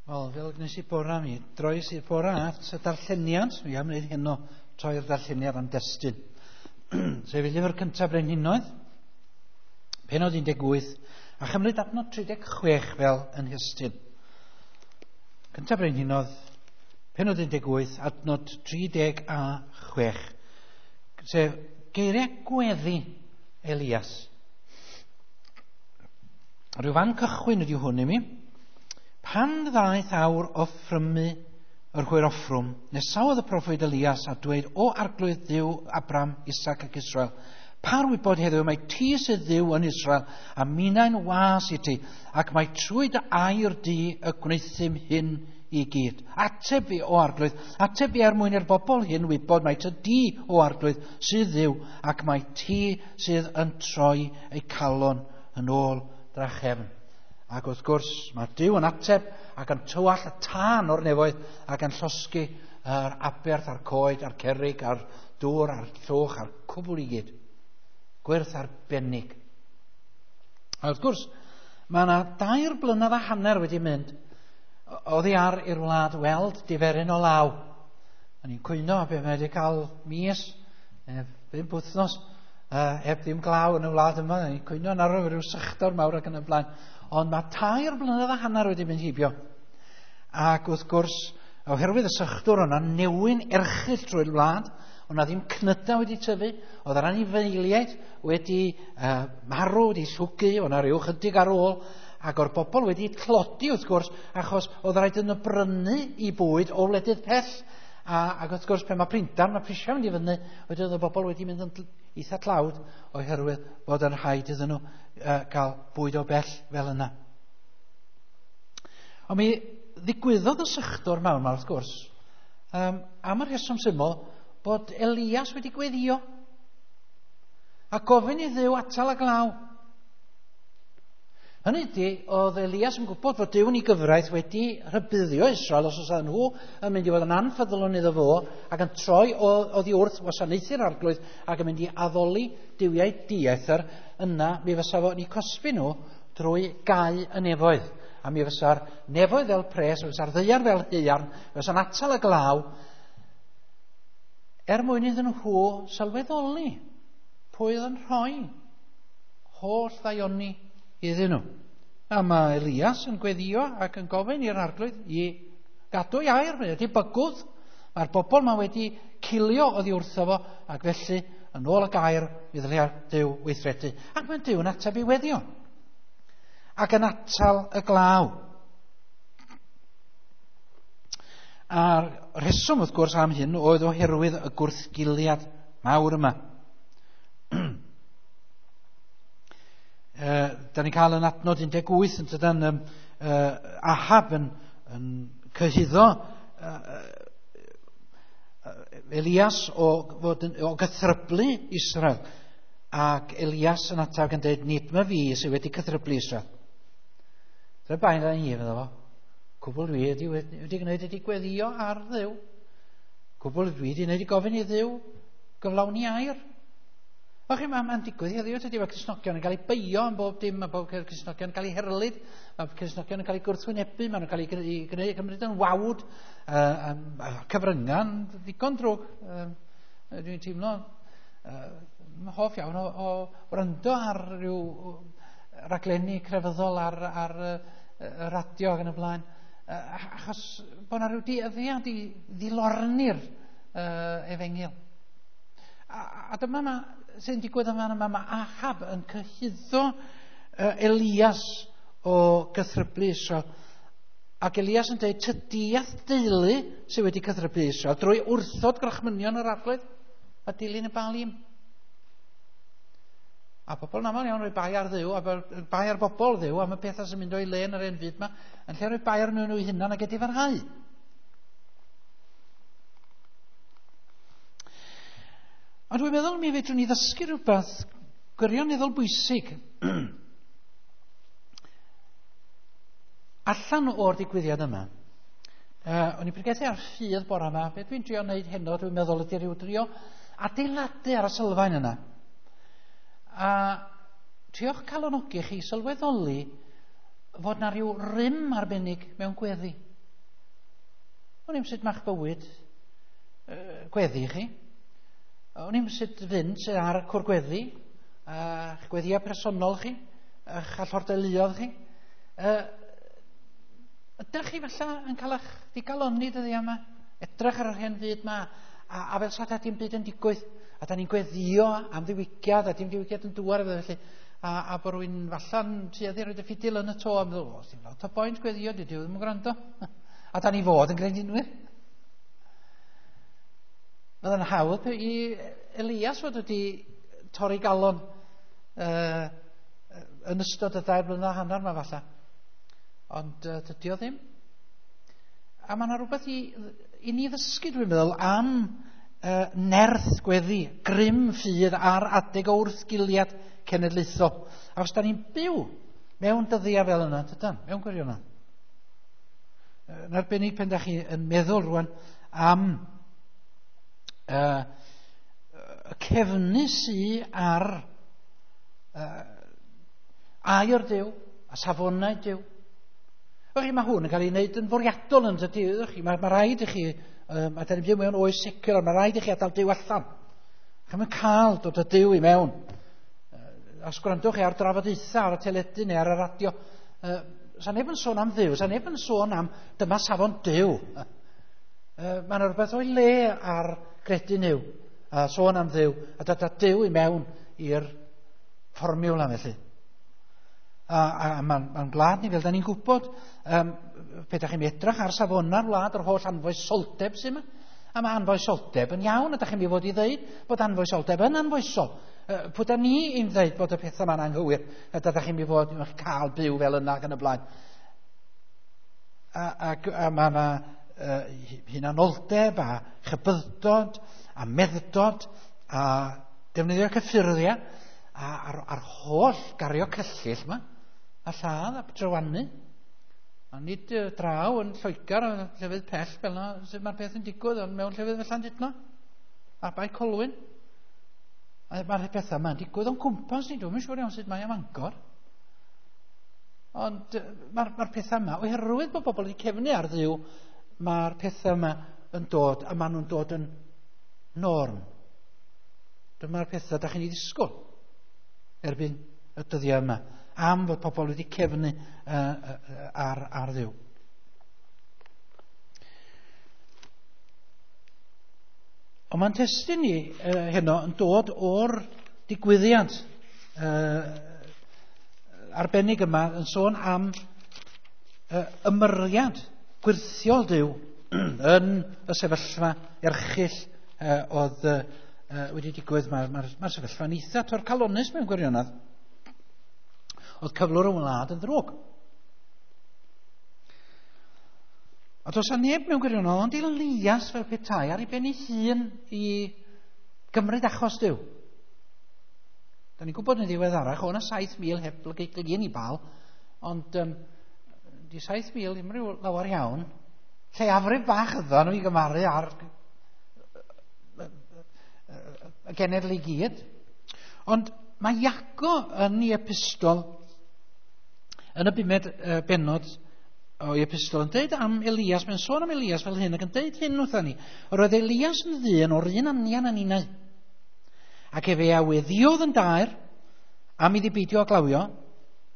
Wel, fel gwnes i bora mi, droes i'r bora at y darlleniad. Mi am wneud heno troi'r darlleniad am destun. Sef y llyfr cyntaf Brenhinoedd, penod 18, a chymryd adnod 36 fel yn hystyn. Cyntaf Brenhinoedd, penod 18, adnod 36. Sef geiriau gweddi Elias. Rhyw fan cychwyn ydy hwn i mi. Pan ddaeth awr offrymu yr hwyr offrwm, nesaodd y proffwyd Elias a dweud, O arglwydd Dduw Abram, Isaac ac Israel, par wybod heddiw mae ti sydd Dduw yn Israel, a minnau'n was i ti, ac mae trwy dy air di y gwnaethum hyn i gyd. Ateb fi, o arglwydd, ateb fi er mwyn i'r bobl hyn wybod mai ty di, o arglwydd, sydd Dduw, ac mae ti sydd yn troi eu calon yn ôl drachefn. Ac wrth gwrs, mae Duw yn ateb ac yn tywall y tân o'r nefoedd ac yn llosgi yr aberth a'r coed a'r cerrig a'r dŵr a'r llwch a'r cwbl i gyd. Gwyrth arbennig. A wrth gwrs, mae yna 2.5 blynedd wedi mynd oddi ar i'r wlad weld diferyn o law. A ni'n cwyno be mae wedi cael mis, 5 wythnos, heb ddim glaw yn y wlad yma. Ni'n cwyno yn arw rhyw sychdor mawr ac yn y blaen. Ond mae 3.5 blynedd wedi mynd heibio. Ac wrth gwrs, oherwydd y sychdwr, o'na newyn erchyll trwy'r wlad, o'na ddim cnydau wedi tyfu, oedd yr anifeiliaid wedi marw, wedi llwgu, o'na rhyw chydig ar ôl, ac o'r bobl wedi tlodi wrth gwrs, achos oedd rhaid yn brynu i bwyd o wledydd pell. Ac wrth gwrs, pan mae printar, mae prisiau mynd i fyny, wedyn oedd y bobl wedi mynd yn eitha tlawd oherwydd bod yn rhaid iddyn nhw gael bwyd o bell fel yna. Ond mi ddigwyddodd y sychdor mawr yma wrth gwrs, am y rheswm syml bod Elias wedi gweddio a gofyn i Dduw atal y glaw. Hynny ydy, oedd Elias yn gwybod fod Duw yn ei gyfraith wedi rhybuddio Israel os oes nhw yn mynd i fod yn anffyddlon iddo fo ac yn troi oddi wrth wasanaethu'r arglwydd ac yn mynd i addoli duwiau dieithr, yna mi fysa fo yn eu cosbi nhw drwy gau y nefoedd. A mi fysa'r nefoedd fel pres, mi fysa'r ddaear fel haearn, fysa'n atal y glaw, er mwyn iddyn nhw sylweddoli pwy oedd yn rhoi holl ddaioni iddyn nhw. A mae Elias yn gweddio ac yn gofyn i'r arglwydd i gadw ei air, mae wedi bygwth, mae'r bobl ma wedi cilio oddi wrtho fo, ac felly, yn ôl y gair, mi ddylia Duw weithredu. Ac mae Duw yn ateb i weddio. Ac yn atal y glaw. A'r rheswm, wrth gwrs, am hyn oedd oherwydd y gwrthgiliad mawr yma. Da ni'n cael yn adnod 18 yn tydan, Ahab yn cyhuddo Elias o gythryblu Israel. Ac Elias yn ateb yn dweud, nid ma fi sydd wedi cythryblu Israel. Dyna bain ar hi, fydda fo. Cwbl dwi wedi gwneud ydi gweddio ar Dduw. Cwbl dwi wedi gwneud i gofyn i Dduw gyflawni air. O chi, mae'n digwydd heddiw, tydi, mae Cristnogion yn cael eu beio am bob dim, mae bob Cristnogion yn cael eu herlid, mae Cristnogion yn cael eu gwrthwynebu, maen nhw'n cael eu gwneud, cymryd yn wawd, cyfrynga'n ddigon drwg. Dwi'n teimlo hoff iawn o wrando ar ryw raglenni crefyddol ar y radio ac yn y blaen, achos bod yna rhyw dueddiad i ddilorni'r efengyl. A dyma ma, sy'n digwydd yma, mae Ahab yn cyhuddo Elias o gythryblu Israel. Ac Elias yn dweud, tydi a'th deulu sydd wedi cythryblu Israel drwy wrthod gorchmynion yr arglwydd a dilyn y Baalim. A pobl yn aml iawn rhoi bai ar Dduw, a bai ar bobl Dduw am y pethau sy'n mynd o'i le yn yr hen fyd yma, yn lle rhoi bai ar nhw hunan ac edifarhau. Ond dwi'n meddwl mi fedrwn ni ddysgu rhywbeth gwirioneddol bwysig allan o'r digwyddiad yma. O'n i'n pregethu ar ffydd bore yma. Be dwi'n drio wneud heno, dwi'n meddwl ydy rhyw drio adeiladu ar y sylfaen yna. A trio'ch calonogi chi sylweddoli fod na rhyw rym arbennig mewn gweddi. O'n i'm sut ma'ch bywyd gweddi chi. O'n i'm sut fynd sydd ar y cwr gweddi, a'ch gweddiau personol chi, a'ch allordeuluodd chi. Ydych chi falle yn cael eich digalonni dyddiau yma? Edrych ar yr hen fyd yma, a fel sa dim byd yn digwydd. A da ni'n gweddio am ddiwygiad, a dim diwygiad yn dŵar efo felly. A bod rhywun falla'n tueddu rhoid y ffidil yn y to, a meddwl, o, sy'n lot o boint gweddio, dydy o ddim yn gwrando. A da ni fod yn gredinwyr. Bydd yn hawdd i Elias fod wedi torri galon yn ystod y 2.5 blynedd yma falle. Ond dydy o ddim. A mae yna rhywbeth i ni ddysgu, dwi'n meddwl, am nerth gweddi, grym ffydd ar adeg o wrthgiliad cenedlaethol. A os da ni'n byw mewn dyddiau fel yna, dydan, mewn gwirionedd. Yn arbennig pen da chi yn meddwl rwan am y cefnu sy ar air Duw a safonau Duw. Chi, mae hwn yn cael ei wneud yn fwriadol yn dydy. Mae rhaid i chi, a da ni'n byw mewn oes secular, mae rhaid i chi adael Duw allan. Chi'm yn cael dod â Duw i mewn. Os gwrandwch chi ar drafodaethau ar y teledu neu ar y radio, sa neb yn sôn am Dduw, sa neb yn sôn am dyma safon Duw. Mae yna rhywbeth o'i le ar gredu Nuw, a sôn am Dduw, a dod â Duw i mewn i'r fformiwla felly. A mae'n gwlad ni, fel da ni'n gwybod, pe da chi'n edrych ar safona'r wlad, yr holl anfoesoldeb sy'n yma, a mae anfoesoldeb yn iawn, a da chi'n mynd i fod i ddeud bod anfoesoldeb yn anfoesol. Pwy da ni i'n ddeud bod y pethau yma'n anghywir, a da chi'n mynd i fod yn cael byw fel yna ac yn y blaen. A mae yna hunanoldeb a chybyddod a medddod a defnyddio cyffyrddiau a'r holl gario cyllyll yma, a lladd a drywanu. A nid draw yn Lloegr a llefydd pell fel yna sut mae'r peth yn digwydd, ond mewn llefydd fel Llandudno, a Bae Colwyn. A mae'r pethau yma'n digwydd o'n cwmpas ni, dwi'm yn siŵr iawn sut mae am Fangor. Ond mae'r pethau yma, oherwydd bod bobl wedi cefnu ar Dduw, mae'r pethau yma yn dod, a maen nhw'n dod yn norm. Dyma'r pethau da chi'n ei ddisgwyl erbyn y dyddiau yma, am fod pobl wedi cefnu ar Dduw. Ond mae'n testun ni heno yn dod o'r digwyddiad arbennig yma yn sôn am ymyriad gwirthiol Duw yn y sefyllfa erchyll oedd wedi digwydd. Mae'r sefyllfa'n eitha torcalonnus mewn gwirionedd. Oedd cyflwr y wlad yn ddrwg. A does 'na neb mewn gwirionedd ond Elias fel petai ar ei ben ei hun i gymryd achos Duw. Da ni'n gwybod yn ddiweddarach, o' 'na 7,000 heb glin i Baal, ond di 7,000 ddim rhyw lawer iawn. Lleiafrif bach ydyn nhw i gymaru ar y genedl i gyd. Ond mae Iago yn ei epistol, yn y bumed bennod o'i epistol, yn dweud am Elias, mae'n sôn am Elias fel hyn, ac yn dweud hyn wrtha ni. Yr oedd Elias yn ddyn o'r un anian â ninnau, ac efe a weddïodd yn daer am iddi beidio â glawio,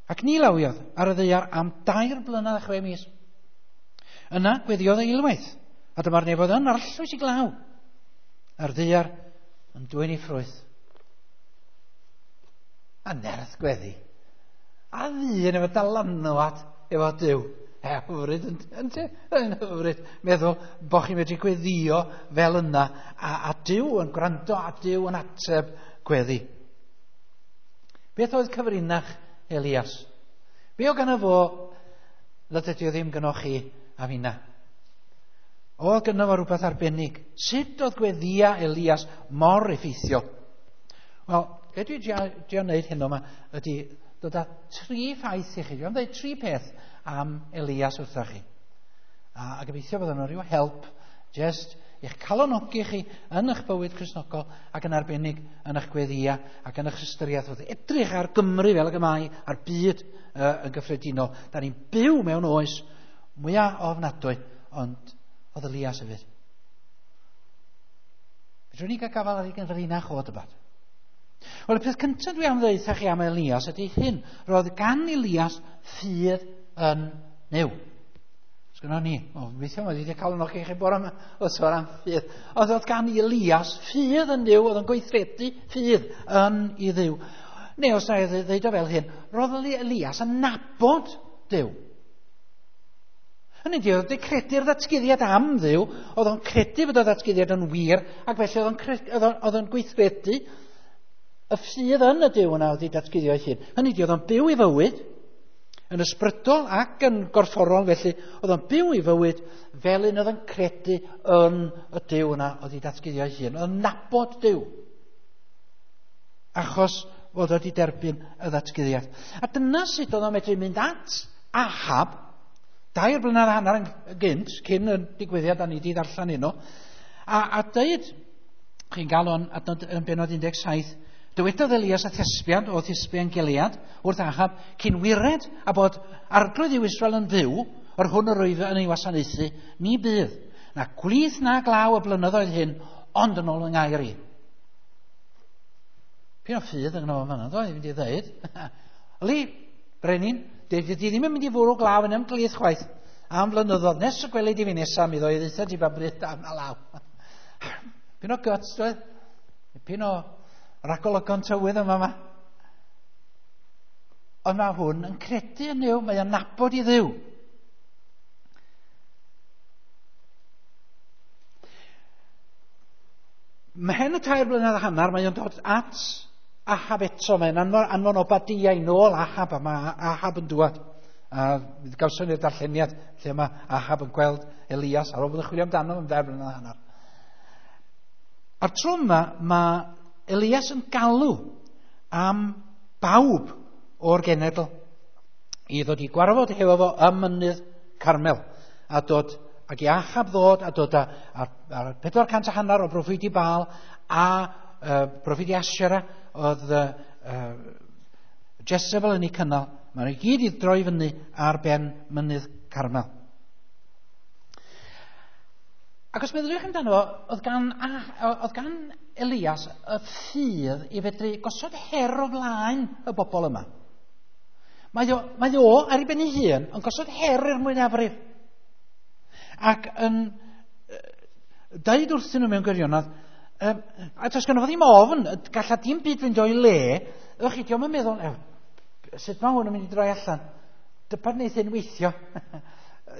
ac ni lawiodd ar y ddaear am 3 blynedd a 6 mis. Yna gweddïodd eilwaith, a dyma'r nefoedd yn arllwys i glaw, a'r ddaear yn dwyn ei ffrwyth. A nerth gweddi. A ddyn efo dylanwad efo Duw. Hyfryd, yn hyfryd meddwl bod chi'n medru gweddio fel yna, a Duw yn gwrando a Duw yn ateb gweddi. Beth oedd cyfrinach Elias? Be oedd gynno fo nad ydy o ddim gynnoch chi a finna? Oedd gynno fo rhywbeth arbennig. Sut oedd gweddia Elias mor effeithiol? Wel, be dwi drio wneud heno yma ydy dod â 3 ffaith i chi. Dwi'n dweud 3 peth am Elias wrtha chi. A gobeithio bod yna rhyw help just i'ch calonogi chi yn eich bywyd Cristnogol ac yn arbennig yn eich gweddia ac yn eich ystyriaeth wrth edrych ar Gymru fel ag y mae, a'r byd yn gyffredinol. Da ni'n byw mewn oes mwyaf ofnadwy, ond oedd Elias hefyd. Fedrwn ni gael gafael ar ei gyfrinach o dybad. Wel, y peth cyntaf dwi am ddeud chi am Elias ydy hyn. Roedd gan Elias ffydd yn Nuw. Sgynnon ni. O, weithio mae wedi cael yno chi bore yma o sôn am ffydd. Oedd oedd gan Elias ffydd yn Nuw, oedd yn gweithredu ffydd yn i Dduw. Neu os na i ddeud o fel hyn, roedd Elias yn nabod Duw. Hynny ydi, oedd wedi credu'r ddatguddiad am Dduw, oedd o'n credu fod y ddatguddiad yn wir, ac felly oedd o'n gweithredu y ffydd yn y Duw yna oedd wedi datguddio ei hun. Hynny ydi, oedd o'n byw i fywyd, yn ysbrydol ac yn gorfforol, felly oedd o'n byw i fywyd fel un oedd yn credu yn y Duw yna oedd wedi datguddio ei hun. Oedd o'n nabod Duw, achos fod wedi derbyn y ddatguddiad. A dyna sut oedd o'n medru mynd at Ahab, 2.5 blynedd yn gynt, cyn y digwyddiad da ni wedi ddarllen heno, a dweud, chi'n gael o'n adnod yn benod 17, dywedodd Elias a Thespian, o Thespian Gilead, wrth Ahab, cyn wired a bod arglwydd yw Israel yn fyw, yr hwn yr oedd yn ei wasanaethu, ni bydd, na gwlith na glaw y blynyddoedd hyn, ond yn ôl yng ngair i. Pyn o ffydd yng nghyno fan yna, i fynd i ddweud. Oli, brenin, di ddim yn mynd i fwrw glaw yn ymglith chwaith am flynyddoedd, nes y gwelid i fi nesaf, mi ddoi ddeutha ti ba bryd am a law. Pyn o guts, dweud? Pyn o ragolygon tywydd yma yma. Ond mae hwn yn credu yn Nuw, mae o'n nabod i Dduw. Mhen y 3.5 blynedd, mae o'n dod at Ahab eto, mae'n anfon Obadia i nôl Ahab, a mae Ahab yn dŵad. A gawson ni'r darlleniad lle mae Ahab yn gweld Elias ar ôl bod yn chwilio amdano am 2.5 blynedd. A'r tro yma, mae Elias yn galw am bawb o'r genedl i ddod i gwarfod hefo fo ym mynydd Carmel, a dod ac i Ahab ddod a dod ar 450 o broffwydi Baal a broffwydi Asherah oedd Jezebel yn ei cynnal. Maen nhw i gyd i droi fyny ar ben mynydd Carmel. Ac os meddyliwch amdano fo, oedd gan Elias y ffydd i fedru gosod her o flaen y bobl yma. Mae o ar ei ben ei hun yn gosod her i'r mwyafrif. Ac yn dweud wrthyn nhw mewn gwirionedd, a does gynno fo ddim ofn, galla dim byd fynd o'i le, ewch chi, dio'm yn meddwl, sut mae hwn yn mynd i droi allan? Dybad wneith hyn weithio.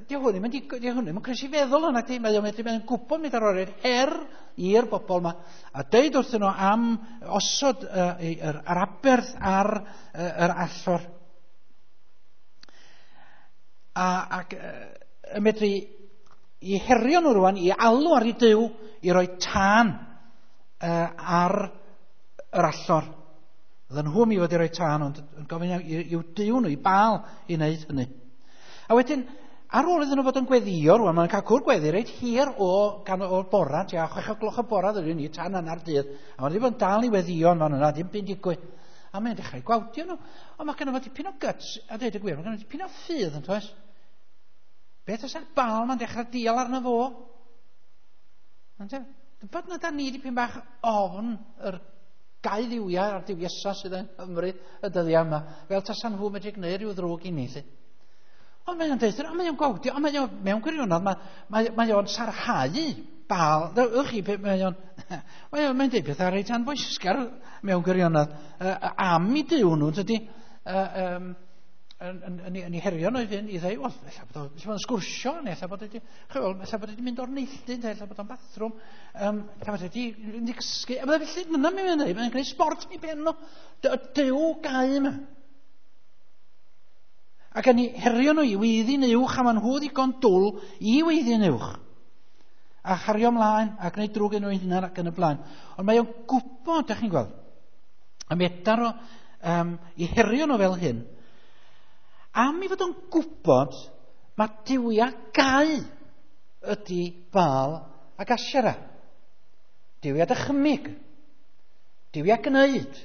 Di hwn ddim yn croesi feddwl yna, mae o'n medru, mae'n gwybod mynd ar o'r her i'r bobl yma, a deud wrthyn nhw am osod yr aberth ar yr allor. Ac yn medru i herio nhw rwan, i alw ar ei Duw, i roi tân ar yr allor. Oedden nhw mi fod i roi tân, ond yn gofyn i'w Duw nhw, i Baal, i wneud hynny. A wedyn, ar ôl iddyn nhw fod yn gweddio, rwan, maen nhw'n cael cwr gweddi reit hir o'r bora, tua 6:00 y bora ddyn ni, tan hanner dydd, a maen nhw wedi bod yn dal i weddio yn fan yna, dim byd digwydd. A mae'n dechrau gwawdio nhw. Ond mae gynno fo dipyn o guts, a dweud y gwir, mae gynno fo dipyn o ffydd yn toes. Beth os ar Baal ma'n dechrau dial arno fo? Dybod na da ni dipyn bach ofn yr gau ddiwiau a'r diwiesa sydd yn Nghymru y dyddiau yma, fel tasan nhw medru gwneud rhyw ddrwg i ni. Lly. Ond mae'n deud, ond mae'n gwawdio, ond mae o'n, mewn gwirionedd, mae o'n sarhau Baal. Ewch chi, mae'n deud pethau reit anfoesgar mewn gwirionedd am i Duw nhw, dydy, yn ei herio nhw i fynd i ddweud, wel, ella bod o'n sgwrsio, neu ella bod wedi mynd o'r neilltu, neu ella bod o'n bathrwm, ella bod wedi mynd i gysgu. A byddai felly, dyna mae'n dweud, mae'n gwneud sport i ben nhw. Duw gau yma. Ac yn ei herio nhw i weiddi'n uwch, a maen nhw ddigon dwl i weiddi'n uwch. A chario ymlaen, a gwneud drwg yn nhw hunan ac yn y blaen. Ond mae o'n gwybod, dych chi'n gweld, a medar o i herio nhw fel hyn, am i fod o'n gwybod mae duwiau gau ydy Baal ac Asherah. Duwiau dychymyg, duwiau gwneud,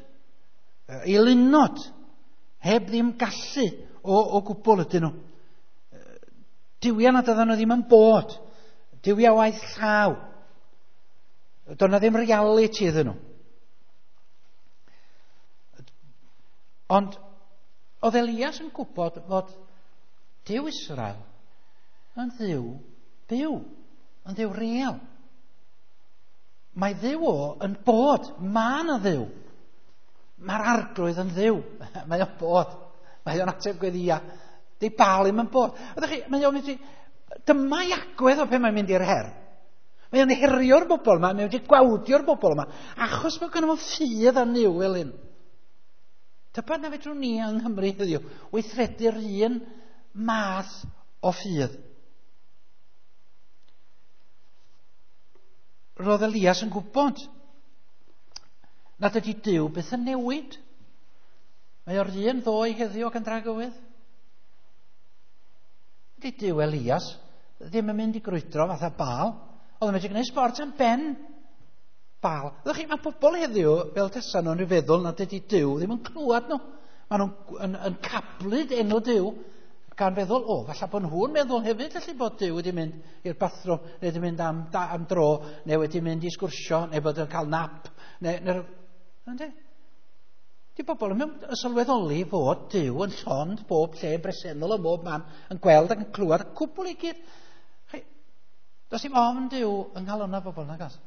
eilunod, heb ddim gallu o gwbl ydyn nhw. Duwiau nad oedden nhw ddim yn bod. Duwiau waith llaw. Doedd 'na ddim reality iddyn nhw. Ond oedd Elias yn gwybod fod Duw Israel yn Dduw byw, yn Dduw real. Mae Dduw o yn bod. Mae yna Dduw. Mae'r Arglwydd yn Dduw. Mae o'n bod. Mae o'n ateb gweddia. Di Baal ddim yn bod. Ydych chi, mae o'n mynd i... Dyma i agwedd o pe mae'n mynd i'r her. Mae o'n herio'r bobl yma, mae o'n gwawdio'r bobl yma, achos bod gynno fo ffydd yn Nuw fel hyn. Tybed na fedrwn ni yng Nghymru heddiw weithredu'r un math o ffydd. Roedd Elias yn gwybod nad ydy Duw byth yn newid. Mae o'r un ddoe heddiw ac yn dragywydd. Ydy Duw Elias ddim yn mynd i grwydro fatha Baal. Oedd yn medru gwneud sbort am ben Baal. Ydych chi, mae pobl heddiw fel tesa nhw'n rhyw feddwl nad ydy Duw ddim yn clywed nhw. Maen nhw'n yn cablyd enw Duw gan feddwl, o, falle bod nhw'n meddwl hefyd felly bod Duw wedi mynd i'r bathrwm, neu wedi mynd am dro, neu wedi mynd i sgwrsio, neu bod yn cael nap, neu ynddi? Di bobl yn sylweddoli fod Duw yn llond bob lle, yn bresennol ym mob man, yn gweld ac yn clywed y cwbl i gyd. Chi, does dim ofn Duw yng nghalonnau bobl, nag oes?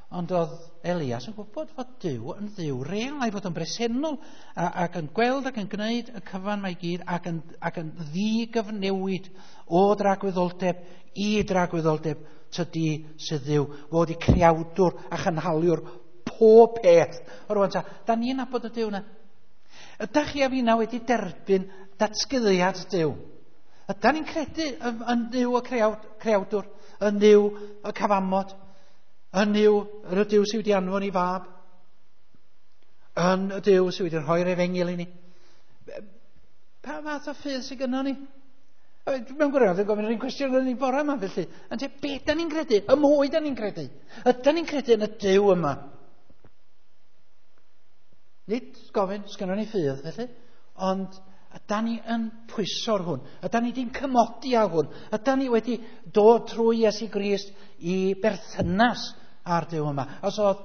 Ond oedd Elias yn gwybod fod Duw yn Dduw real, a'i fod yn bresennol ac yn gweld ac yn gwneud y cyfan mae gyd ac yn ddigyfnewid o dragwyddoldeb i dragwyddoldeb tydi sydd Dduw, fod i creawdwr a chynhaliwr pob peth. O rwan ta, da ni'n nabod y Duw na. Ydych chi a finna wedi derbyn datguddiad Duw? Ydan ni'n credu yn Dduw y creawdwr, yn Dduw y cyfamod, yn Dduw, yr y Duw sydd wedi anfon i fab, yn y Duw sydd wedi rhoi'r efengyl i ni. Pa fath o ffydd sydd gynnon ni? Mewn gwirionedd, dwi'n gofyn yr un cwestiwn yn ei bore yma, felly. Yn te, be da ni'n credu? Y mwy da ni'n credu? Ydan ni'n credu yn y Duw yma? Nid gofyn, sgynnon ni ffydd, felly, ond ydan ni yn pwyso'r hwn? Ydan ni wedi'n cymodi â hwn? Ydan ni wedi dod trwy Iesu Grist i berthynas â'r Duw yma? Os oedd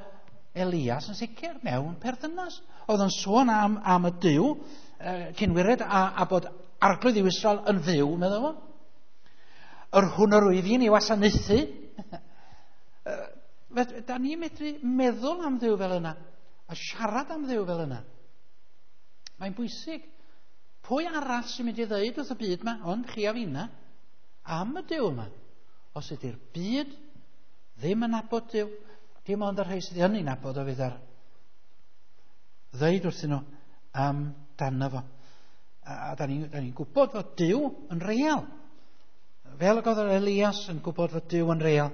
Elias yn sicr mewn perthynas. Oedd yn sôn am y Duw cynwired a bod Arglwydd yw Israel yn fyw, meddwl fo. Yr hwn yr wyf i'n ei wasanaethu. Da ni'n medru meddwl am Dduw fel yna a siarad am Dduw fel yna. Mae'n bwysig. Pwy arall sy'n mynd i ddeud wrth y byd yma, ond chi a finna, am y Duw yma? Os ydy'r byd ddim yn nabod Duw, dim ond y rhai sydd yn ei nabod o fydd ar ddeud wrthyn nhw am dano fo. A da ni'n gwybod fod Duw yn real. Fel y oedd Elias yn gwybod fod Duw yn real.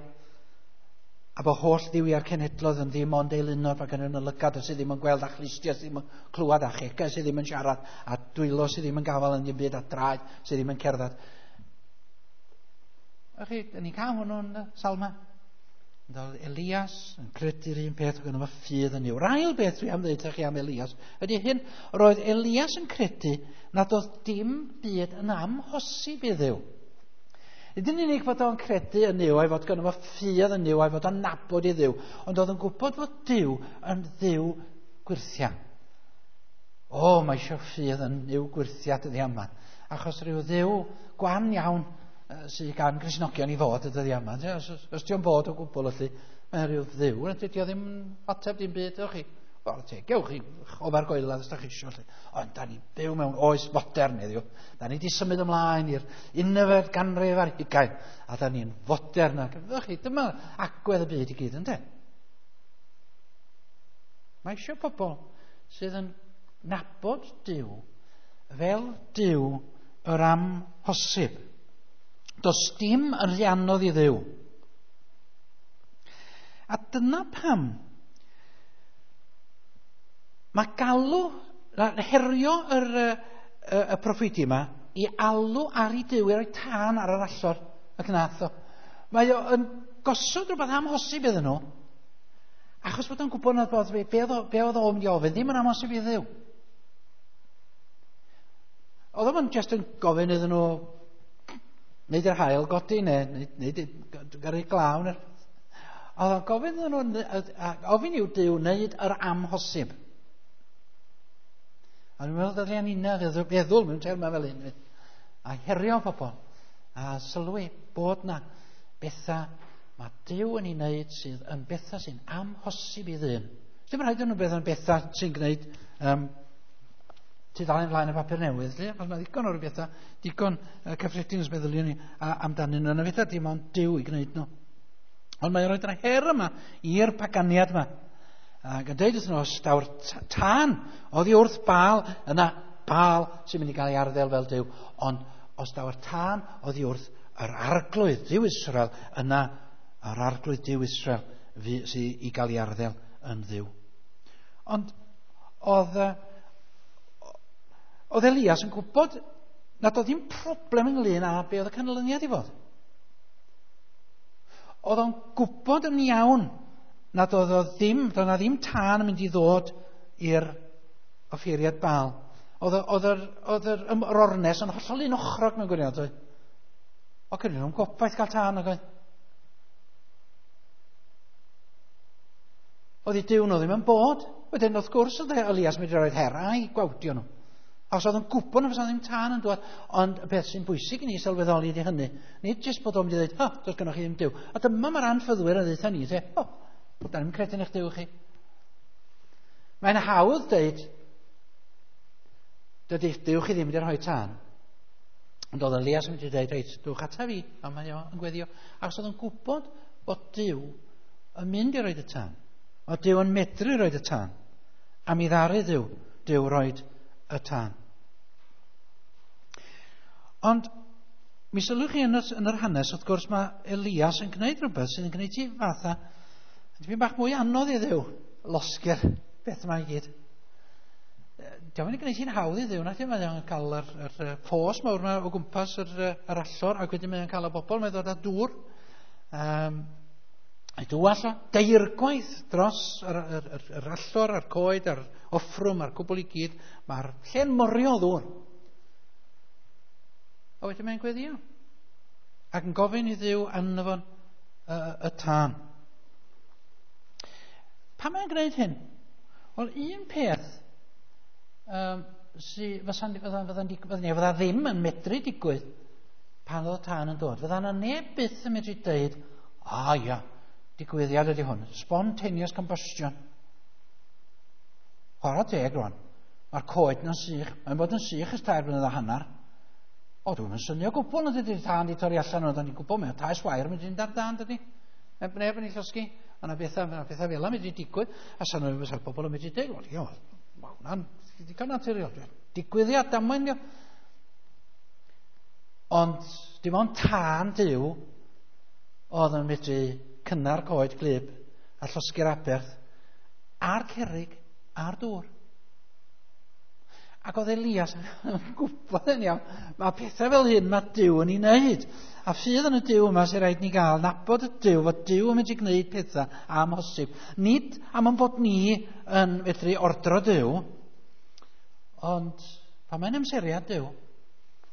A bod holl dduwiau'r cenhedloedd yn ddim ond eilunod, mae gen nhw lygad sydd ddim yn gweld, a chlustiau sydd ddim yn clywed, a chegau sydd ddim yn siarad, a dwylo sydd ddim yn gafael yn dim byd, a draed sydd ddim yn cerdded. A chi, da ni'n cael hwnnw'n Salma. Oedd Elias yn credu'r un peth, oedd gynno fo ffydd yn Nuw. Ail beth dwi am ddeud chi am Elias ydy hyn, roedd Elias yn credu nad oedd dim byd yn amhosib i Dduw. Nid yn unig fod o'n credu yn Nuw, a'i fod gynno fo ffydd yn Nuw, a'i fod o'n nabod i Dduw, ond oedd yn gwybod fod Duw yn Dduw gwyrthiau. O, mae eisiau ffydd yn Nuw gwyrthiau dyddiau yma, achos rhyw Dduw gwan iawn sydd gan Gristnogion i fod y dyddiau yma. Os dio'n bod o gwbl felly, mae rhyw Dduw, a dydy o ddim ateb dim byd, ewch chi. Wel, te, gewch chi ofer goelad os da chi eisiau. Ond da ni'n byw mewn oes fodern heddiw. Da ni wedi symud ymlaen i'r 19 ganrif ar hugain, a da ni'n fodern. Ac ewch chi, dyma agwedd y byd i gyd, ynde? Mae eisiau pobl sydd yn nabod Duw fel Duw yr amhosib. Does dim yn rhy anodd i Dduw. A dyna pam mae galw, herio y proffwydi yma i alw ar ei Duw, i roi tân ar yr allor ac nath o. Mae o yn gosod rhywbeth amhosib iddyn nhw, achos bod o'n gwybod nad bod be oedd o'n mynd i ofyn ddim yn amhosib i Dduw. Oedd o'n just yn gofyn iddyn nhw Wneud yr haul godi neu wneud gyrru glaw. Neu... Oedd o'n gofyn iddyn nhw, ofyn i'w Duw wneud yr amhosib. A dwi'n meddwl ddylia ni'na feddwl mewn termau fel hyn. A herio pobl. A sylwi bod na bethau mae Duw yn ei wneud sydd yn bethau sy'n amhosib i ddyn. Dim rhaid yn nhw beth yn bethau sy'n gwneud tudalen flaen y papur newydd, lle, achos mae ddigon o'r bethau, digon cyffredin os meddyliwn ni amdanyn nhw, yna bethau dim ond Duw i gwneud nhw. Ond mae'n rhoi'r her yma i'r paganiad yma. Ac yn dweud wrthyn nhw, os daw'r tân oddi wrth Baal, yna Baal sy'n mynd i gael ei arddel fel Duw. Ond os daw'r tân oddi wrth yr arglwydd Duw Israel, yna yr arglwydd Duw Israel sydd i gael ei arddel yn Dduw. Ond oedd Elias yn gwybod nad oedd ddim problem ynglyn â be oedd y canlyniad i fod. Oedd o'n gwybod yn iawn nad oedd o ddim, doedd na ddim tân yn mynd i ddod i'r offeiriad Baal. Oedd yr ornes yn hollol un ochrog mewn gwirionedd. Oedd. O, cynnig nhw'n gobaith gael tân ac oedd. Oedd i Duw nhw ddim yn bod. Wedyn, wrth gwrs, oedd Elias mynd i roed her a'i gwawdio nhw. Os oedd yn gwybod na fysa ddim tân yn dod, ond y peth sy'n bwysig i ni sylweddoli ydy hynny. Nid jyst bod o'n mynd i ddweud, oh, does gennych chi ddim Duw. A dyma mae'r anffyddwyr yn dweud ni, o, da ni'n credu yn eich Duw chi. Mae'n hawdd dweud, dydy Duw chi ddim wedi rhoi tân. Ond oedd Elias yn mynd i dweud, reit, dwch ata fi, a mae o yn gweddio. Achos oedd yn gwybod bod Duw yn mynd i roed y tân. Oedd Duw yn medru roed y tân. A mi ddaru Duw roed y tân. Ond mi sylwch chi yn yr hanes, wrth gwrs, mae Elias yn gwneud rhywbeth sydd yn gwneud ti fatha dipyn bach mwy anodd i Dduw losgi'r beth yma i gyd. Dio'm yn gwneud hi'n hawdd i Dduw, nac ydy? Mae o'n cael yr ffos mawr yma o gwmpas yr allor, ac wedyn mae o'n cael y bobl, mae'n dod â dŵr. Ei dywall o, deirgwaith dros yr allor, a'r coed, a'r offrwm, a'r cwbl i gyd. Mae'r lle'n morio o ddŵr. A wedyn mae'n gweddio. Ac yn gofyn i Dduw anfon y tân. Pam mae'n gwneud hyn? Wel, un peth fydda ddim yn medru digwydd pan oedd y tân yn dod. Fydda yna neb byth yn medru dweud, a ia, digwyddiad ydy hwn. Spontaneous combustion. Chwarae teg rwan. Mae'r coed na'n sych. Mae'n bod yn sych ers 3.5 blynedd. O, dwi'n yn synio gwbl nad ydy'r tân di torri allan, ond o'n i'n gwybod mae taes wair yn mynd i fynd ar dân, dydy. Neb yn ei llosgi. A na bethau fel yna mynd i digwydd. A sa'n nhw'n fysa'r bobl yn mynd i dweud, wel, mae hwnna'n digon naturiol. Digwyddiad damwain, dio. Ond dim ond tân Duw oedd yn medru cynnar coed gwlyb a llosgi'r aberth a'r cerrig a'r dŵr. Ac oedd Elias yn gwybod yn iawn, mae pethau fel hyn mae Duw yn ei wneud. A ffydd yn y Duw yma sy'n rhaid ni gael, nabod y Duw, fod Duw yn mynd i gwneud pethau amhosib. Nid am ein bod ni yn medru ordro Duw, ond pan mae'n amseriad Duw,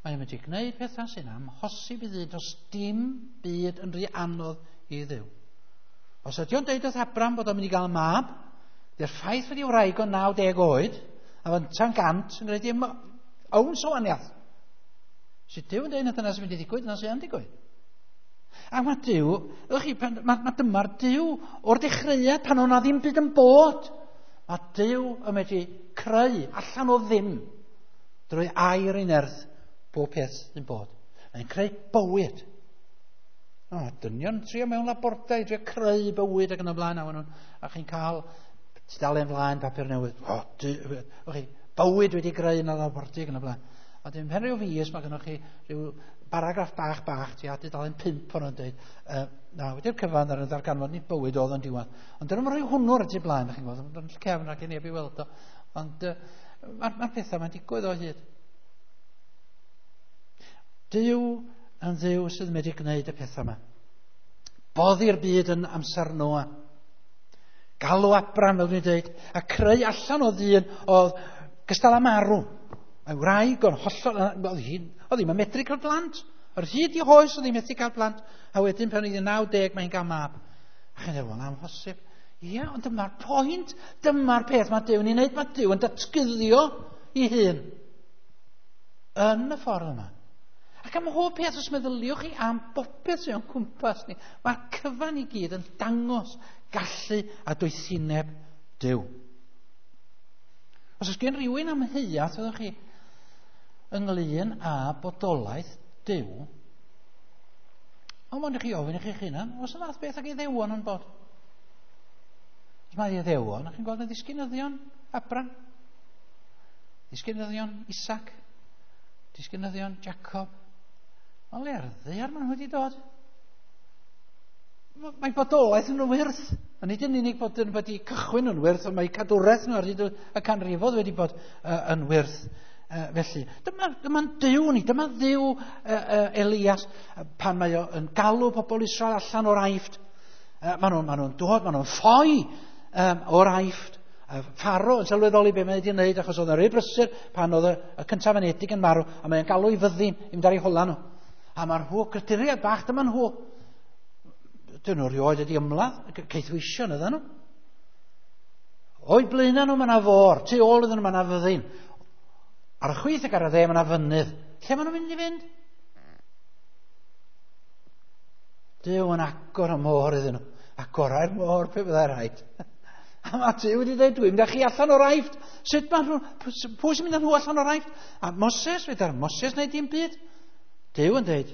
mae'n mynd i gwneud pethau sy'n amhosib i ddyn, does dim byd yn rhy anodd i Dduw. Os ydy o'n deud wrth Abraham bod o'n mynd i gael mab, dy'r ffaith wedi wraig o 90 oed, a fynta'n 100 yn gwneud dim owns o wahaniaeth. Sut Duw yn dweud na dyna sy'n mynd i ddigwydd, dyna sy'n yn digwydd. A mae Duw, ydych chi, mae dyma'r Duw o'r dechreuad pan o'na ddim byd yn bod. Mae Duw yn medru creu allan o ddim drwy air ei nerth bob peth sy'n bod. Mae'n creu bywyd. O, dynion trio mewn labordai, trio creu bywyd ac yn y blaen, a chi'n cael tudalen flaen papur newydd. O, bywyd wedi greu yn y labordy ac yn y blaen. A dim pen rhyw fis, mae gennych chi rhyw paragraff bach, tua tudalen 5 o'n dweud, na, wedi'r cyfan ar y ddarganfod, nid bywyd oedd yn diwedd. Ond dyn nhw'n rhoi hwnnw ar y tu blaen, chi'n gwybod, yn cefn rhag i neb i weld o. Ond mae'r pethau mae'n digwydd o hyd. Duw yn Dduw sydd wedi gwneud y pethau yma. Boddi'r byd yn amser Noa. Galw Abraham, fel dwi'n dweud, a creu allan o ddyn oedd gystal â marw. Mae wraig o'n hollol, oedd ddim yn medru cael plant. Yr hyd i hoes oedd hi methu cael plant, a wedyn pan oedd hi'n 90 mae'n cael mab. A chi'n dweud, wel, amhosib. Ie, ond dyma'r pwynt, dyma'r peth mae Duw yn ei wneud, mae Duw yn datguddio ei hun yn y ffordd yma. Ac am hob peth, os meddyliwch chi am bopeth sy'n o'n cwmpas ni, mae'r cyfan i gyd yn dangos gallu a doethineb Duw. Os oes gen rhywun amheuaeth, fyddwch chi, ynglyn â bodolaeth Duw, ond mond i chi ofyn i chi'ch hunan, oes y fath beth ag iddewon yn bod? Os mae iddewon, chi'n gweld y ddisgynyddion Abram, ddisgynyddion Isaac, disgynyddion Jacob. O le ar ddaear maen nhw wedi dod? Mae bodolaeth yn wyrth. A nid yn unig bod yn wedi cychwyn yn wyrth, ond mae cadwraeth nhw ar hyd y canrifodd wedi bod yn wyrth. Felly, dyma Duw ni, dyma Dduw Elias, pan mae o yn galw pobl Israel allan o'r Aifft. Maen nhw'n dod, maen nhw'n ffoi o'r Aifft. Pharaoh yn sylweddoli be mae wedi wneud, achos oedd yn rhy brysur pan oedd y cyntaf anedig yn marw, a mae'n galw i fyddin i mynd ar ei hola nhw. A mae'r nhw, creaduriaid bach, dyma nhw. Dyn nhw rioed wedi ymladd, caethweision ydyn nhw. O'i blaenau nhw mae yna fôr, tu ôl iddyn nhw mae yna fyddin. Ar y chwith ac ar y dde mae yna fynydd. Lle maen nhw'n mynd i fynd? Duw yn agor y môr iddyn nhw. Agorau'r môr pe byddai rhaid. A mae Duw wedi dweud, dwi'n mynd â chi allan o'r Aifft. Sut mae nhw, pwy sy'n mynd â nhw allan o'r Aifft? A Moses, fedar Moses wneud dim byd. Duw yn dweud,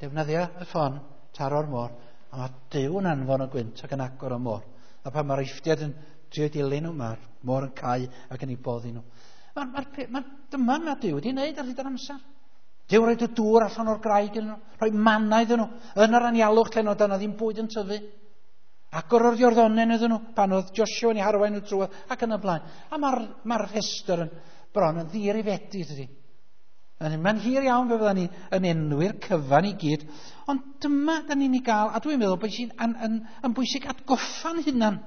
defnyddia y ffon, taro'r môr, a mae Duw yn anfon y gwynt ac yn agor y môr. A pan mae'r Eifftiaid yn trio dilyn nhw, mae'r môr yn cau ac yn ei boddi nhw. Dyma mae Duw wedi wneud ar hyd yr amser. Duw roed y dŵr allan o'r graig iddyn nhw, rhoi manna iddyn nhw, yn yr anialwch lle oedd yna ddim bwyd yn tyfu. Agor o'r Iorddonen iddyn nhw, pan oedd Joshua yn ei harwain nhw trwy, ac yn y blaen. A mae'r rhestr yn bron yn ddirifedi, dydy. Mae'n hir iawn fe fydda ni yn enwi'r cyfan i gyd. Ond dyma da ni'n ei gael, a dwi'n meddwl bod sy'n yn bwysig atgoffa'n hunan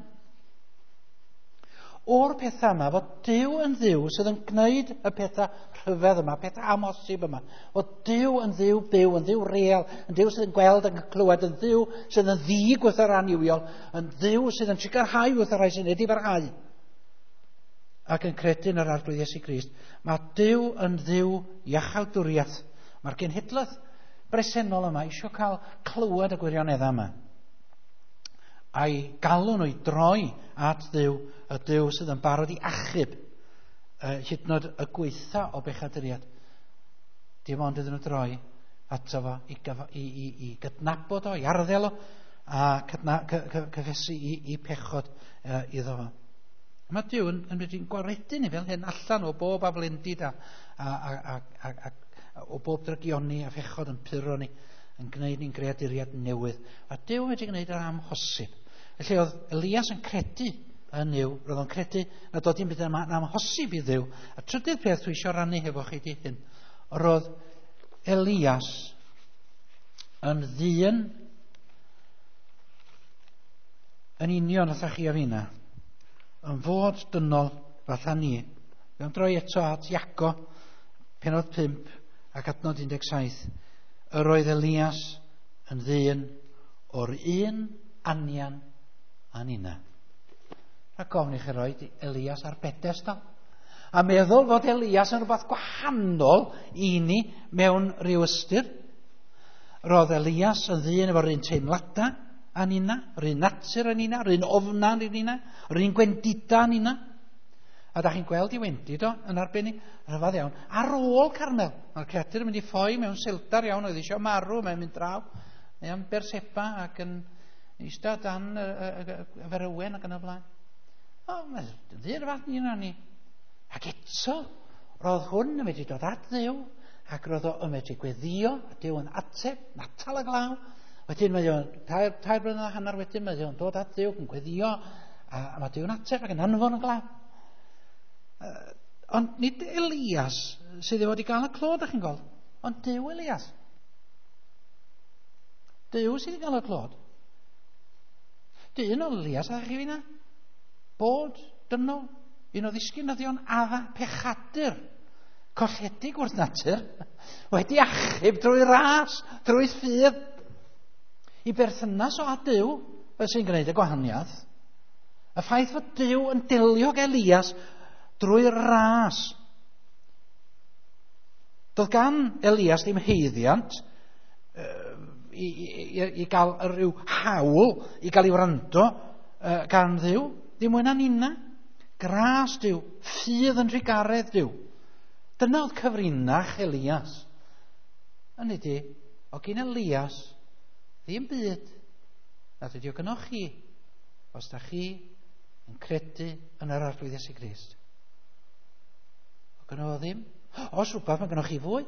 o'r pethau yma, fod Duw yn Dduw sydd yn gwneud y pethau rhyfedd yma, pethau amhosib yma. Fod Duw yn Dduw byw, yn Dduw real, yn Dduw sydd yn gweld ac yn clywed, yn Dduw sydd yn ddig wrth yr annuwiol, yn Dduw sydd yn sicrhau wrth y rhai sy'n edifarhau ac yn credu yn yr Arglwydd Iesu Grist. Mae Duw yn Dduw iachawdwriaeth. Mae'r genhedlaeth bresennol yma eisiau cael clywed y gwirioneddau yma. A'i galw nhw i droi at Dduw, y Duw sydd yn barod i achub hyd yn oed y gwaetha o bechaduriaid. Dim ond iddyn nhw droi ato fo i gydnabod o, i arddel o, a cyffesu i pechod iddo fo. Mae Duw yn medru gwaredu ni fel hyn allan o bob aflendid a o bob drygioni a phechod yn puro ni, yn gwneud ni'n greaduriad newydd. A Duw wedi gwneud yr amhosib. Felly oedd Elias yn credu yn Nuw, roedd o'n credu nad oedd dim byd yn amhosib i Dduw. A trydydd peth dwi eisiau rannu hefo chi di hyn, roedd Elias yn ddyn yn union fatha chi a finna, yn fod dynol fatha ni. Fe am droi eto at Iago, pennod 5 ac adnod 17. Yr oedd Elias yn ddyn o'r un anian a ninna. Rhaid gofyn i chi roi Elias ar bedestal. A meddwl fod Elias yn rhywbeth gwahanol i ni mewn rhyw ystyr. Roedd Elias yn ddyn efo'r un teimladau a ninna, yr un natur a ninna, yr un ofna a ninna, yr un gwendida a ninna. A da chi'n gweld i wendid o yn arbennig, rhyfedd iawn. Ar ôl Carmel, mae'r creadur yn mynd i ffoi mewn seldar iawn, oedd eisiau marw, mae'n mynd draw, mae am Berseba ac yn eistedd dan y ferywen ac yn y blaen. O, mae'n ddyn fath ni yna ni. Ac eto, roedd hwn yn medru dod at Dduw, ac roedd o yn medru gweddio, a Duw yn ateb, natal y glaw. Wedyn mae o'n, 3 blynedd a hanner wedyn, mae o'n dod at Dduw yn gweddio, a mae Duw yn ateb ac yn anfon y glaw. Ond nid Elias sydd wedi gael y clod, ych chi'n gweld, ond Duw Elias. Duw sydd wedi cael y clod. Dyn o Elias, a chi finna? Bod dynol, un o ddisgynyddion Adda, pechadur. Colledig wrth natur, wedi achub drwy ras, drwy ffydd. I berthynas o a Duw, fel sy'n gwneud y gwahaniaeth. Y ffaith fod Duw yn delio ag Elias drwy ras. Doedd gan Elias ddim haeddiant i gael rhyw hawl i gael ei wrando gan Dduw. Ddim mwy na nina. Gras Duw, ffydd yn rhigaredd Duw. Dyna oedd cyfrinach Elias. Hynny ydi, o gyn Elias ddim byd nad ydi o gynnoch chi, os da chi yn credu yn yr Arglwydd Iesu Grist. O gynno fo ddim. Os rhywbeth, mae gynnoch chi fwy.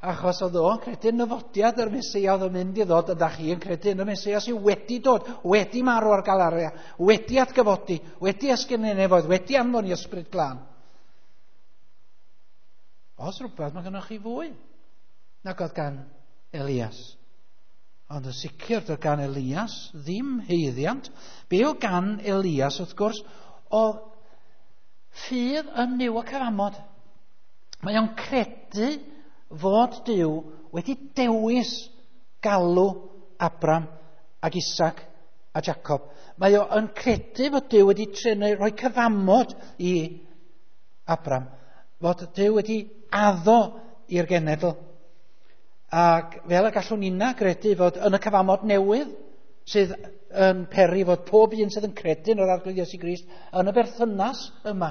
Achos oedd o'n credu yn nyfodiad yr Meseia oedd yn mynd i ddod, a da chi yn credu yn y Meseia sydd wedi dod, wedi marw ar Galaria, wedi atgyfodi, wedi esgyn i nefoedd, wedi anfon i Ysbryd Glân. Os rhywbeth, mae gynnoch chi fwy nag oedd gan Elias. Ond yn sicr, doedd gan Elias ddim haeddiant. Be oedd gan Elias, wrth gwrs, oedd ffydd yn Nuw y cyfamod. Mae o'n credu fod Duw wedi dewis galw Abram ac Isaac a Jacob. Mae o'n credu fod Duw wedi trenu rhoi cyfamod i Abram, fod Duw wedi addo i'r genedl. Ac fel y gallwn ni'na gredu fod yn y cyfamod newydd sydd yn peri fod pob un sydd yn credu yn yr Arglwydd Iesu Grist yn y berthynas yma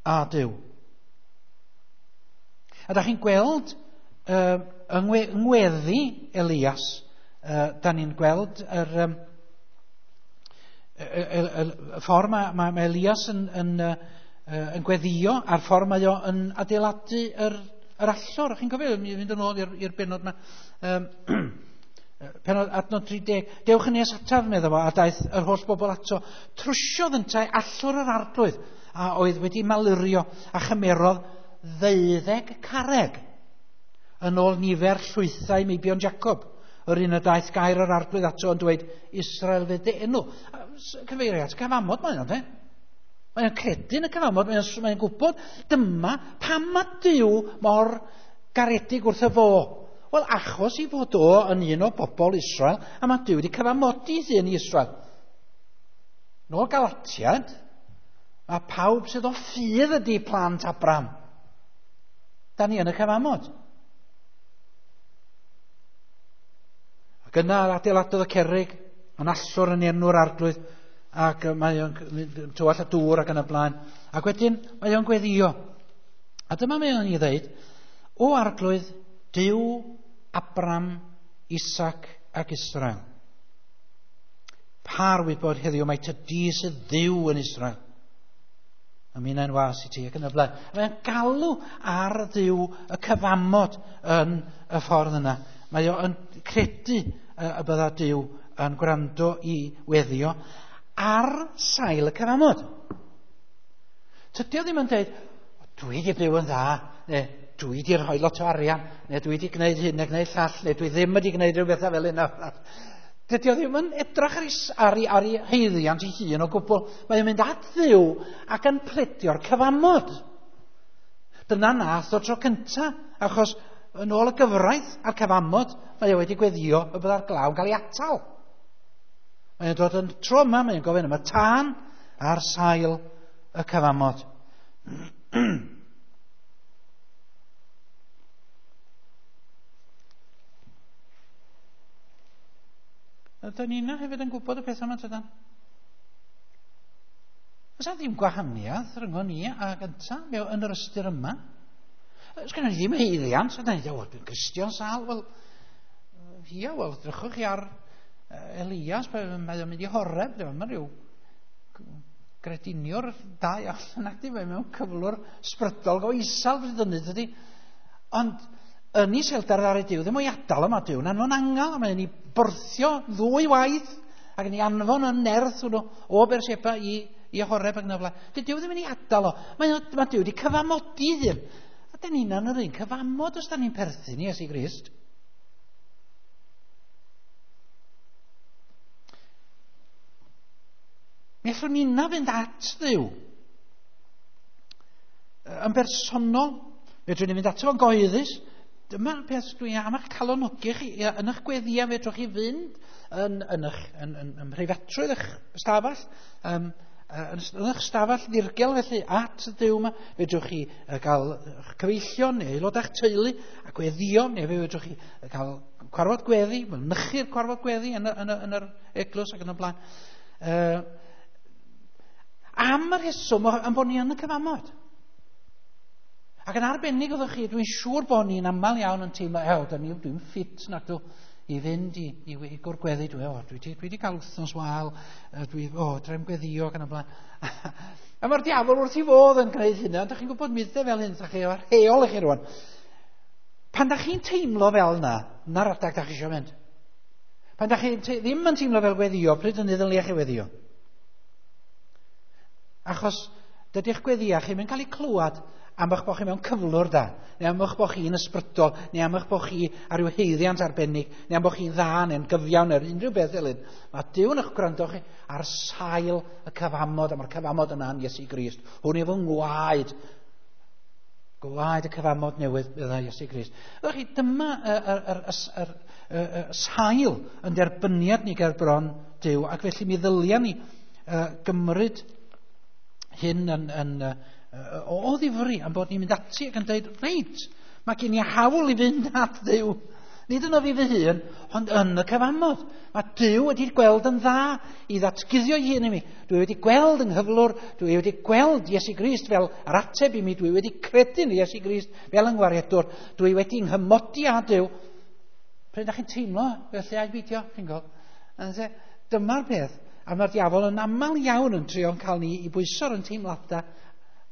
a Duw. A da chi'n gweld yng ngweddi Elias, da ni'n gweld yr ffordd mae Elias yn gweddio a'r ffordd mae o yn adeiladu yr allor. Chi'n cofio, mynd yn ôl i'r bennod yma. Pennod adnod 30. Dewch yn nes ataf, medda fo, a daeth yr holl bobl ato. Trwsiodd yntau allor yr Arglwydd a oedd wedi malurio a chymerodd 12 carreg yn ôl nifer llwythau meibion Jacob. Yr un y daeth gair yr Arglwydd ato yn dweud Israel fydd dy enw. Cyfeirio at cyfamod mae o'n, de? Mae o'n credu yn y cyfamod, mae o'n gwybod dyma pam mae Duw mor garedig wrth y fo. Wel, achos i fod o yn un o bobl Israel, a mae Duw wedi cyfamodi ddyn i Israel. Nôl Galatiad, mae pawb sydd o ffydd ydi plant Abram. Da ni yn y cyfamod. Ac yna adeiladodd y cerrig, yn allor yn enw'r Arglwydd, ac mae o'n tywallt y dŵr ac yn y blaen. Ac wedyn mae o'n gweddio. A dyma mae o'n ei ddeud, o Arglwydd, Duw, Abram, Isaac ac Israel. Par wybod heddiw mae ty di sydd Dduw yn Israel. A minnau'n was i ti ac yn y blaen. Mae'n galw ar Dduw y cyfamod yn y ffordd yna. Mae o'n credu y bydda Duw yn gwrando i weddio ar sail y cyfamod. Tydi o ddim yn dweud, dwi wedi byw yn dda, neu dwi wedi rhoi lot o arian, neu dwi wedi gwneud hyn neu gwneud llall, neu dwi ddim wedi gwneud rhyw bethau fel hyn. Dydy o ddim yn edrych ar ei haeddiant ei hun o gwbl. Mae o'n mynd at Dduw ac yn pledio'r cyfamod. Dyna nath o tro cynta, achos yn ôl y gyfraith a'r cyfamod, mae o wedi gweddio y bydda'r glaw yn cael ei atal. Mae o'n dod yn tro yma, mae o'n gofyn am y tân ar sail y cyfamod. Ydyn ni yna hefyd yn gwybod y peth yma, tydan? Oes ddim gwahaniaeth rhwng ni a gynta yn yr ystyr yma? Oes gennym ni ddim haeddiant, ydyn ni'n dweud, dwi'n Gristion sâl. Wel, ia, wel, drychwch chi ar Elias, mae o'n mynd i Horeb, mae rhyw grediniwr da allan ac di, mae mewn cyflwr sbrydol go isel bryd hynny, dydy. Ond yn iselder ar ei Duw, ddim o'i adael yma Duw, yn anfon angel, a mae'n ei bwrthio ddwy waith, ac yn ei anfon yn nerth hwnnw o Berseba i Horeb ac yn y blaen. Dydy Duw ddim yn ei adael o. Mae Duw wedi cyfamodi ddyn. A dyn ni'n yr un cyfamod os da ni'n perthyn i Iesu Grist. Mi allwn ni'na fynd at Dduw. Yn bersonol, fedrwn ni fynd ato fo'n gyhoeddus. Dyma'r peth dwi am eich calonogi chi, yn eich gweddiau fedrwch chi fynd yn mhreifatrwydd eich ystafell, yn eich stafell ddirgel felly at y Duw yma, fedrwch chi gael eich cyfeillion neu aelodau'ch teulu a gweddio, neu fedrwch chi gael cwarfod gweddi, mynychu'r cwarfod gweddi yn yr eglwys ac yn y blaen. Am y rheswm am bod ni yn y cyfamod. Ac yn arbennig oeddech chi, dwi'n siŵr bod ni'n aml iawn yn teimlo, dwi'n ffit na dw i fynd i gwr gweddi, dwi wedi cael wythnos wael, drem gweddio ac yn y blaen. A mae'r diafol wrth i fodd yn gwneud hynna, ond dach chi'n gwybod myddau fel hyn, dach chi efo'r rheol i chi rwan. Pan dach chi'n teimlo fel yna, na'r adag dach chi eisiau mynd. Pan dach chi ddim yn teimlo fel gweddio, pryd hynny ddylia chi weddio? Achos dydy'ch gweddiau chi'n mynd cael eu clywed am eich bod chi mewn cyflwr da, neu am eich bod chi'n ysbrydol, neu am eich bod chi ar ryw haeddiant arbennig, neu am bod chi'n dda, neu'n gyfiawn, neu unrhyw beth fel hyn. Mae Duw yn eich gwrando chi ar sail y cyfamod, a mae'r cyfamod yna yn Iesu Grist. Hwn efo ngwaed, gwaed y cyfamod newydd bydda Iesu Grist. Ydych chi, dyma y sail yn derbyniad ni ger bron Duw, ac felly mi ddylia ni gymryd hyn yn o ddifri am bod ni'n mynd ati ac yn dweud, reit, mae gen i hawl i fynd at Dduw. Nid yno fi fy hun, ond yn y cyfamod. Mae Duw wedi gweld yn dda i ddatguddio ei hun i mi. Dwi wedi gweld yng nghyflwr, dwi wedi gweld Iesu Grist fel yr ateb i mi, dwi wedi credu yn Iesu Grist fel yng ngwaredwr, dwi wedi nghymodi â Duw. Pryd ydych chi'n teimlo felly a'i beidio, chi'n gweld? Dyma'r peth, a mae'r diafol yn aml iawn yn trio cael ni i bwyso'r yn teimladau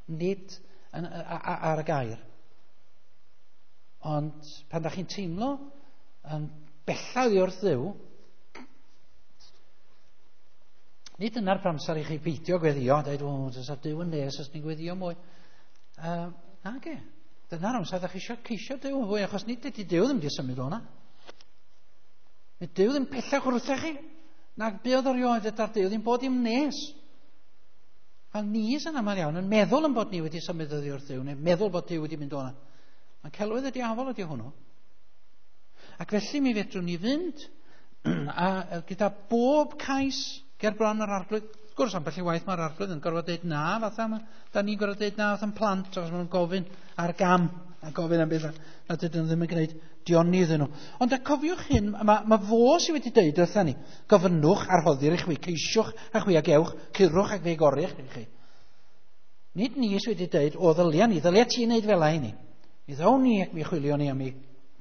nid ar y gair. Ond pan da chi'n teimlo yn bellach oddi wrth Dduw, nid yna'r amser i chi beidio gweddio, dweud, o, does a Duw yn nes os ni'n gweddio mwy. Nage, dyna'r amser da chi eisiau ceisio Duw yn fwy, achos nid ydy Duw ddim wedi symud o'na. Nid Duw ddim pellach wrthych chi, nag buodd erioed ydy'r Duw ddim bod im nes. A ni sy'n aml iawn yn meddwl yn bod ni wedi symud oddi wrth Dduw, neu meddwl bod Duw wedi mynd o'na. Mae celwydd y diafol ydy hwnnw. Ac felly mi fedrwn ni fynd a gyda bob cais ger bron yr arglwydd. Wrth gwrs, ambell i waith mae'r arglwydd yn gorfod dweud na, fatha da ni'n gorfod dweud na fatha'n plant, achos maen nhw'n gofyn ar gam, a gofyn am beth na dydyn nhw ddim yn gwneud dioni iddyn nhw. Ond a cofiwch hyn, mae fo sydd wedi dweud wrtha ni, gofynnwch a rhoddir i chwi, ceisiwch a chwi ag ewch, curwch ac fe gorrych i chi. Nid ni sydd wedi dweud, o ddylia ni, ddylia ti'n neud fel i ni. Mi ddown ni ac mi chwilio ni a mi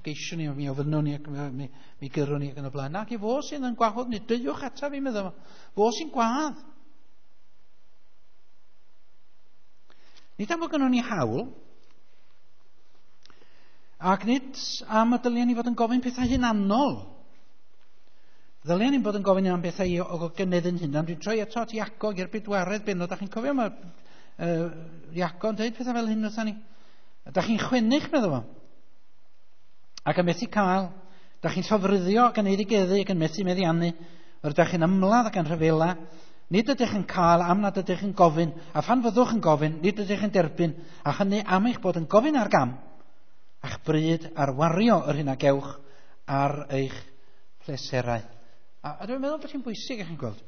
geisio ni, mi ofynnwn ni ac mi gyrrwn ni ac yn y blaen. Nag i fo sydd yn gwahodd ni, deuwch ataf fi, meddwl. Fo sy'n gwadd. Nid am fod gynnon ni hawl, ac nid am y dylia ni fod yn gofyn pethau hunanol. Ddylia ni bod yn gofyn am bethau o gynnydd yn hunan. Dwi'n troi eto at Iago i'r bedwaredd bennod. Dach chi'n cofio mae Iago yn dweud pethau fel hyn wrtha ni. Dach chi'n chwennych, meddwl fo. Ac yn methu cael. Dach chi'n llofruddio ac yn eiddigeddu ac yn methu meddiannu. Rydych chi'n ymladd ac yn rhyfela. Nid ydych yn cael am nad ydych yn gofyn, a phan fyddwch yn gofyn, nid ydych yn derbyn, a hynny am eich bod yn gofyn ar gam, a'ch bryd ar wario yr hyn a gewch ar eich pleserau. A dwi'n meddwl bod hi'n bwysig, eich chi'n gweld.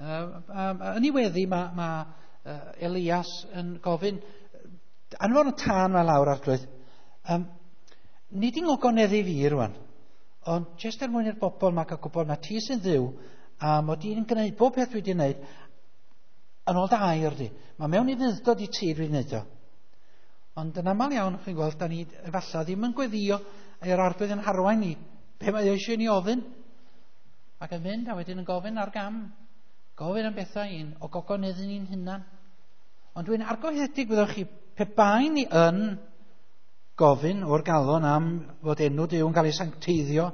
Yn ei weddi mae Elias yn gofyn, anfon y tân mae lawr arglwydd, nid i'n ogoneddu fi rwan, ond jyst er mwyn i'r bobl mae cael gwybod na ti sy'n Dduw, a mod i'n gwneud bob peth dwi wedi gwneud yn ôl dy air di. Mae mewn i fudd-dod i ti dwi'n gwneud o. Ond yn aml iawn, chi'n gweld, da ni efallai ddim yn gweddio i'r arglwydd yn harwain ni. Be mae eisiau ni ofyn? Ac yn mynd a wedyn yn gofyn ar gam. Gofyn am bethau un o gogoneddu ni'n hunan. Ond dwi'n argyhoeddedig, byddwch chi, pe bai ni yn gofyn o'r galon am fod enw Duw yn cael ei sancteiddio,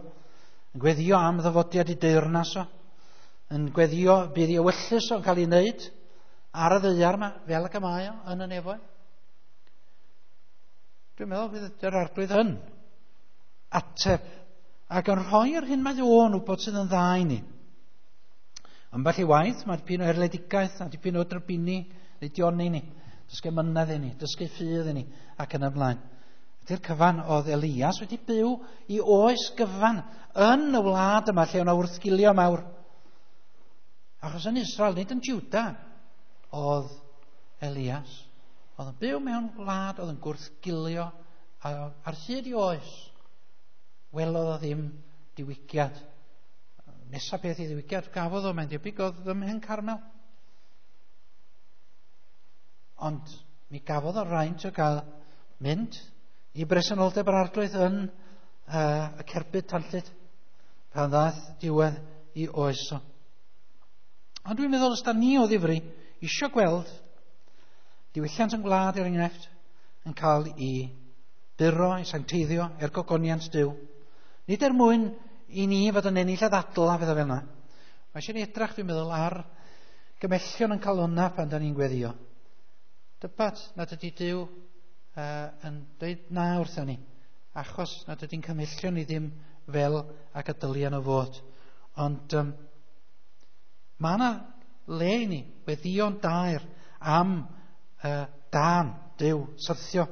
yn gweddio am ddyfodiad i deyrnas o, yn gweddio bydd ei ewyllys o'n cael ei wneud ar y ddaear yma, fel ac y mae o yn y nefoedd. Dwi'n meddwl bydd yr arglwydd yn ateb ac yn rhoi'r hyn mae o'n wybod sydd yn dda i ni. Ambell i waith, mae dipyn o erledigaeth a dipyn o drybini neu dioni ni. Dysgu mynedd i ni, dysgu ffydd i ni, ac yn y blaen. Ydy'r cyfan oedd Elias wedi byw i oes gyfan yn y wlad yma lle o'na wrthgilio mawr. Achos yn Israel, nid yn Juda, oedd Elias. Oedd yn byw mewn gwlad oedd yn gwrthgilio ar hyd i oes. Welodd o ddim diwygiad. Nesa peth i ddiwygiad gafodd o, mae'n debyg oedd ym Mhen Carmel. Ond mi gafodd o raint o gael mynd i bresenoldeb yr arglwydd yn y cerbyd tanllyd pan ddaeth diwedd i oes o. Ond dwi'n meddwl os da ni o ddifri isio gweld diwylliant yn gwlad er enghraifft yn cael i buro, i sancteiddio er gogoniant Duw. Nid er mwyn i ni fod yn ennill y ddadl a fydda fel yna. Mae eisiau ni edrach, dwi'n meddwl, ar gymellion yn cael hwnna pan da ni'n gweddio. Dybat nad ydy Duw yn dweud na wrthyn ni, achos nad ydy'n cymhellion ni ddim fel ac y dylian o fod. Ond mae yna le i ni weddio'n daer am dan Duw syrthio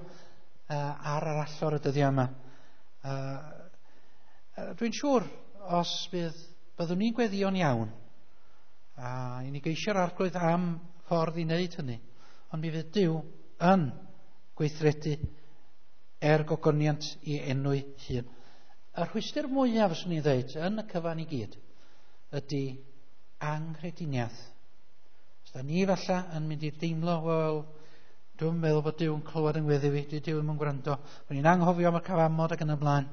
ar yr allor y dyddiau yma. Dwi'n siŵr os byddwn ni'n gweddio'n iawn, a i ni geisio'r arglwydd am ffordd i wneud hynny, ond mi fydd Duw yn gweithredu er gogoniant i enw'i hun. Y rhwystr mwyaf, fyswn i'n dweud, yn y cyfan i gyd, ydy anghrediniaeth. Os da ni falle yn mynd i deimlo, wel, dwi'n meddwl bod Duw yn clywed yn gweddi fi, dydy Duw ddim yn gwrando. Mae'n ni'n anghofio am y cyfamod ac yn y blaen.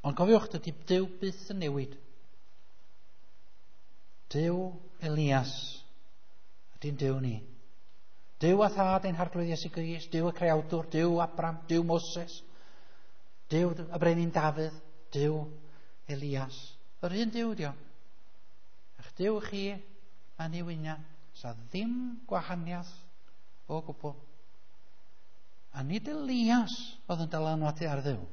Ond cofiwch, dydy Duw byth yn newid. Duw Elias ydy'n Duw ni. Duw a thad ein harglwydd Iesu Grist, Duw y creawdwr, Duw Abram, Duw Moses, Duw y brenin Dafydd, Duw Elias. Yr un Duw dio. A'ch Duw chi a ni wyna, sa ddim gwahaniaeth o gwbl. A nid Elias oedd yn dylanwadu ar Dduw,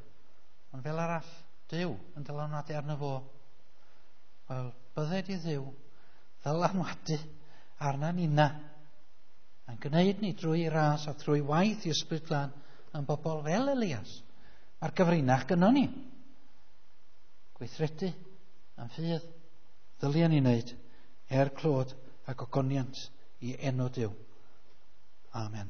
ond fel arall, Duw yn dylanwadu arno fo. Wel, bydded i Dduw ddylanwadu arna nina a'n gwneud ni drwy ras a trwy waith i Ysbryd Glân yn bobl fel Elias. Mae'r gyfrinach gynnon ni. Gweithredu am ffydd ddylion ni wneud er clod ac ogoniant i enw Duw. Amen.